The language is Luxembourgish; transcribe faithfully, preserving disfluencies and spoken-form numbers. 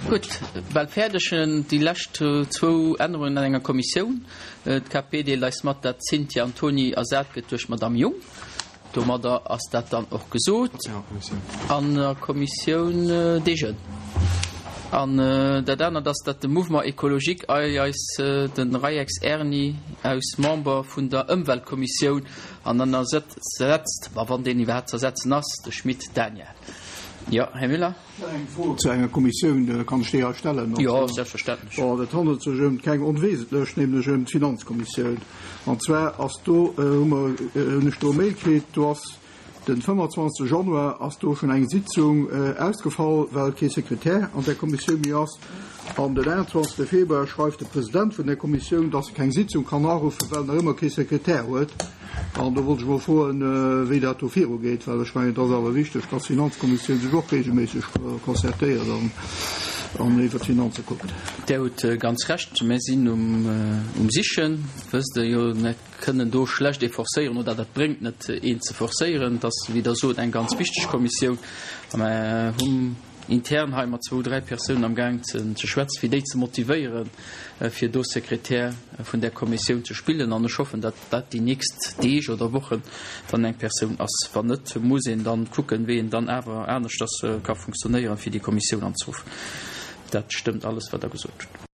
Gutt, bal fäerdeg. Déi lescht zwou Ännerungen an enger Kommissioun. D'K P deelt eis mat, dat d'Cynthia Antoni ersat gëtt duerch d'Madame Jung. Domadder ass dat dann och gesot. An der Kommissioun des Jeunes. An dat anert ass, datt de Mouvement Écologique eis de Rayex Erny aus Member vun der Ëmweltkommissioun an dann ersetzt, ma wann deen iwwerhaapt z'ersetzen ass, de Schmit Daniel. Jo, Här Müller? Eng Fro zu enger Kommissioun, kann ech déi hei stellen? Jo, selbstverständlech. Bon, et handelt sech ëm keng onwesentlech, nämlech ëm d'Finanzkommissioun. An zwar ass do, hu mer, hunn ech do e Mail kritt, do ass den fënnefanzwanzegste Januar ass do schonn eng Sitzung ausgefall, well kee Sekretär an där Kommissioun méi ass. An den aonzwanzegste Februar schreift de President vun där Kommissioun, dass e keng Sitzung kann aruffen, well en nach ëmmer kee Sekretär huet. An do wollt ech mol froen, wéi dat do virugeet, well ech mengen, et ass awer wichteg, dass d'Finanzkommissioun sech och regelméisseg concertéiert an an iwwert d'Finanze kuckt. Där hutt ganz Recht. Mir sinn um Sichen, wësst Der jo. Mir kënnen do schlecht ee forcéieren, oder dat bréngt net, een ze forcéieren. Et ass, wéi Der sot, eng ganz wichteg Kommissioun. A mir hunn intern hei mat zwou, dräi Persounen am Gaang ze schwätzen, fir déi ze motivéieren, fir do Sekretär vun där Kommissioun ze spillen. An ech hoffen, datt dat déi nächst Deeg oder Wochen dann eng Persoun ass. Wann net, muss een dann kucken, wéi een dann awer aneschters ka funktionéieren, fir déi Kommissioun anzeruffen. Dat stëmmt alles, wat Der gesot hutt.